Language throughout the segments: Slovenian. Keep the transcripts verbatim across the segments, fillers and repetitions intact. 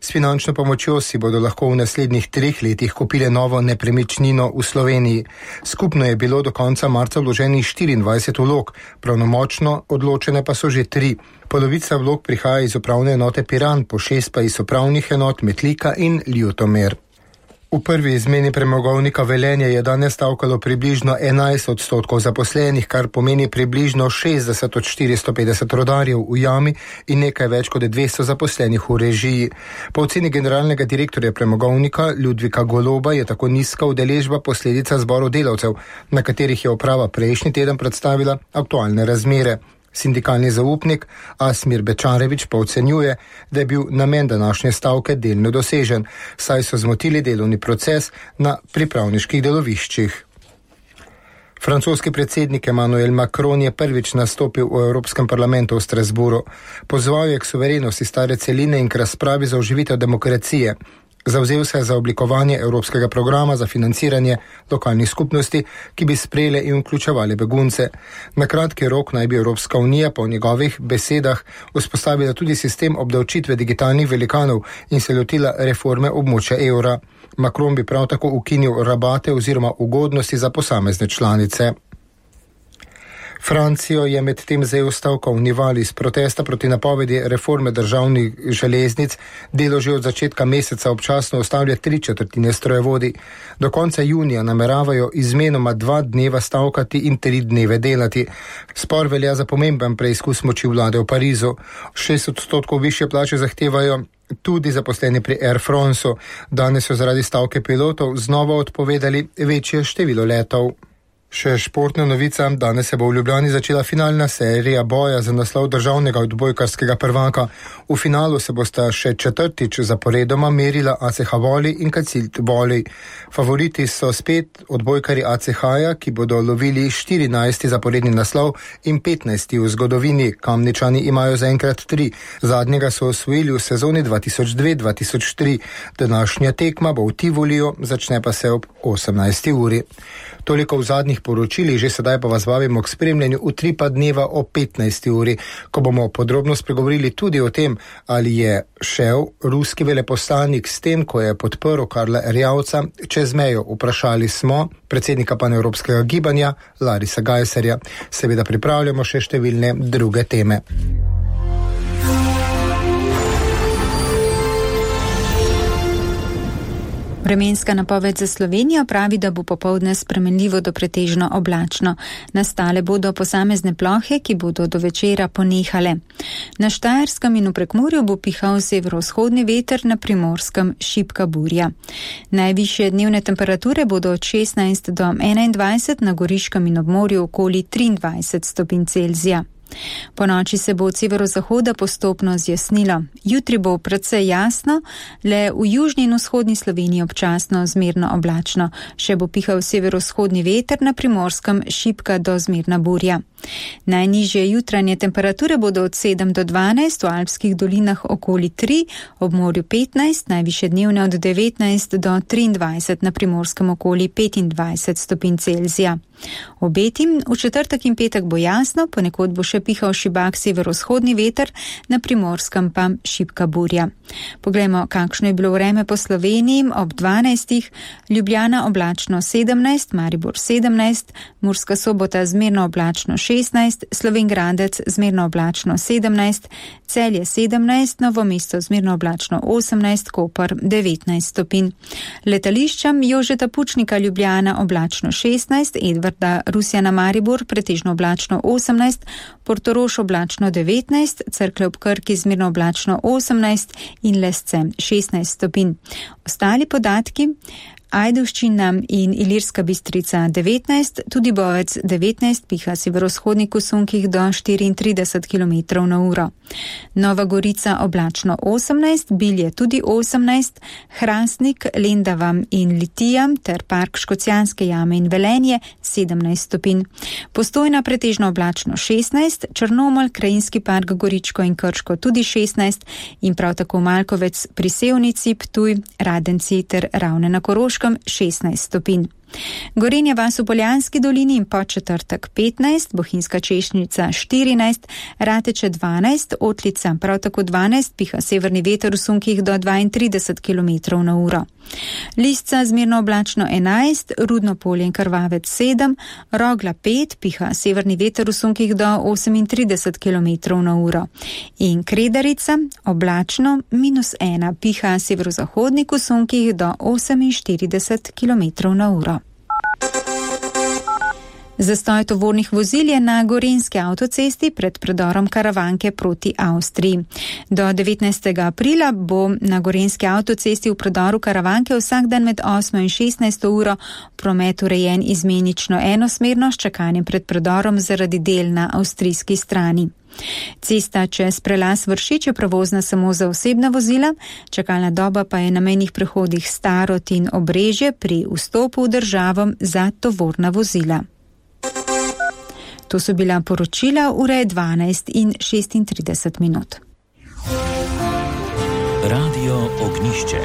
S finančno pomočjo si bodo lahko v naslednjih treh letih kupile novo nepremičnino v Sloveniji. Skupno je bilo do konca marca vloženih štiriindvajset vlog, pravnomočno odločene pa so že tri. Polovica vlog prihaja iz upravne enote Piran, po šest pa iz upravnih enot Metlika in Ljutomer. V prvi izmeni premogovnika Velenje je danes stavkalo približno enajst odstotkov zaposlenih, kar pomeni približno šestdeset od štiristo petdeset rodarjev v jami in nekaj več kot dvesto zaposlenih v režiji. Po oceni generalnega direktorja premogovnika Ludvika Goloba je tako nizka udeležba posledica zborov delavcev, na katerih je uprava prejšnji teden predstavila aktualne razmere. Sindikalni zaupnik Asmir Bečarevič pa ocenjuje, da je bil namen današnje stavke delno dosežen, saj so zmotili delovni proces na pripravniških deloviščih. Francoski predsednik Emmanuel Macron je prvič nastopil v Evropskem parlamentu v Strasburu. Pozval je k suverenosti stare celine in k razpravi za oživitev demokracije. Zavzel se je za oblikovanje evropskega programa za financiranje lokalnih skupnosti, ki bi sprejele in vključevali begunce. Na kratki rok naj bi Evropska unija po njegovih besedah vzpostavila tudi sistem obdavčitve digitalnih velikanov in se lotila reforme območja evra. Macron bi prav tako ukinil rabate oziroma ugodnosti za posamezne članice. Francijo je med tem zel stavka v Nivali iz protesta proti napovedi reforme državnih železnic. Delo že od začetka meseca občasno ustavlja tri četrtine strojevodi. Do konca junija nameravajo izmenoma dva dneva stavkati in tri dneve delati. Spor velja za pomemben preizkus moči vlade v Parizu. Šest odstotkov višje plače zahtevajo tudi zaposleni pri Air Franceu. Danes so zaradi stavke pilotov znova odpovedali večje število letov. Še športna novica, danes se bo v Ljubljani začela finalna serija boja za naslov državnega odbojkarskega prvaka. V finalu se bosta še četrtič zaporedoma merila A C H Voli in Kacilt Voli. Favoriti so spet odbojkari A C H-ja, ki bodo lovili štirinajsti zaporedni naslov in petnajsti v zgodovini. Kamničani imajo zaenkrat tri. Zadnjega so osvojili v sezoni dva tisoč dve dva tisoč tri. Današnja tekma bo v Tivoliju, začne pa se ob osemnajsti uri. Toliko v zadnjih poročili, že sedaj pa vas vabimo k spremljanju utripa dneva o petnajsti uri, ko bomo podrobno spregovorili tudi o tem, ali je šel ruski veleposlanik s tem, ko je podprl Karla Erjavca čez mejo. Vprašali smo predsednika panevropskega gibanja Larisa Gajserja. Seveda pripravljamo še številne druge teme. Vremenska napoved za Slovenijo pravi, da bo popoldne spremenljivo do pretežno oblačno. Nastale bodo posamezne plohe, ki bodo do večera ponehale. Na Štajerskem in v Prekmurju bo pihal severovzhodni veter, na Primorskem šibka burja. Najvišje dnevne temperature bodo od šestnajst do enaindvajset, na Goriškem in ob morju okoli triindvajset stopinj Celzija. Po noči se bo od severozahoda postopno zjasnilo. Jutri bo precej jasno, le v južni in vzhodni Sloveniji občasno zmerno oblačno. Še bo pihal severovzhodni veter, na Primorskem šibka do zmerna burja. Najnižje jutranje temperature bodo od sedem do dvanajst, v alpskih dolinah okoli tri, ob morju petnajst, najvišje dnevne od devetnajst do triindvajset, na Primorskem okoli petindvajset stopinj Celzija. Obetim, v četrtek in petek bo jasno, ponekod bo še pihal šibak severovzhodni veter, na Primorskem pa šibka burja. Poglejmo, kakšno je bilo vreme po Sloveniji. Ob dvanajstih Ljubljana oblačno sedemnajst, Maribor sedemnajst, Murska Sobota zmerno oblačno šestnajst, Slovenj Gradec zmerno oblačno sedemnajst, Celje sedemnajst, Novo mesto zmerno oblačno osemnajst, Koper devetnajst stopinj. Letališčem Jožeta Pučnika Ljubljana oblačno šestnajst, Edvarda Rusjana Maribor pretežno oblačno osemnajst, Portorož oblačno devetnajst, Cerklje ob Krki zmerno oblačno osemnajst in Lesce šestnajst stopinj. Ostali podatki: Ajdovščina in Ilirska Bistrica devetnajst, tudi Bovec devetnajst, piha severovzhodnik v sunkih do štiriintrideset kilometrov na uro. Nova Gorica oblačno osemnajst, Bilje tudi osemnajst, Hrastnik, Lendava in Litija ter park Škocjanske jame in Velenje sedemnajst stopinj. Postojna pretežno oblačno šestnajst, Črnomelj, Krajinski park Goričko in Krško tudi šestnajst in prav tako Malkovec pri Sevnici, Ptuj, Radenci ter Ravne na Koroškem šestnajst stopinj. Gorenja vas v Poljanski dolini in Podčetrtek petnajst, Bohinjska Češnjica štirinajst, Rateče dvanajst, Otlica prav tako dvanajst, piha severni veter v sunkih do dvaintrideset kilometrov na uro. Lisca zmerno oblačno enajst, Rudno Polje in Krvavec sedem, Rogla pet, piha severni veter v sunkih do osemintrideset kilometrov na uro. In Kredarica oblačno minus ena, piha severozahodnik v sunkih do oseminštirideset kilometrov na uro. Zastoj tovornih vozil je na Gorenjski avtocesti pred predorom Karavanke proti Avstriji. Do devetnajstega aprila bo na Gorenjski avtocesti v predoru Karavanke vsak dan med osmo in šestnajsto uro promet urejen izmenično enosmerno s čakanjem pred predorom zaradi del na avstrijski strani. Cesta čez prelaz Vršič je prevozna samo za osebna vozila, čakalna doba pa je na mejnih prehodih Starod in Obrežje pri vstopu v državo za tovorna vozila. To so bila poročila, ura je dvanajst in šestintrideset minut. Radio Ognjišče.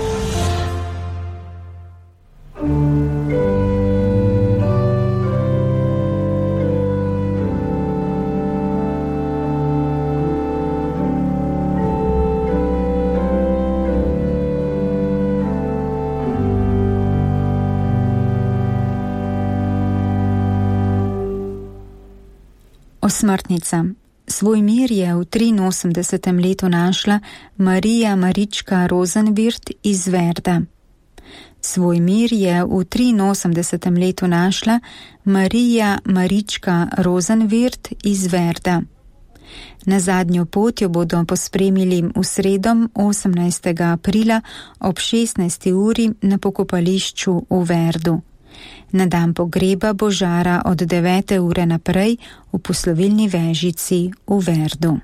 Osmrtnica. Svoj mir je v triinosemdesetem letu našla Marija Marička Rosenvirth iz Verda. Svoj mir je v triinosemdesetem letu našla Marija Marička Rosenvirth iz Verda. Na zadnjo pot jo bodo pospremili v sredo osemnajstega aprila ob šestnajsti uri na pokopališču v Verdu. Na dan pogreba bo žara od devete ure naprej v poslovilni vežici v Verdu.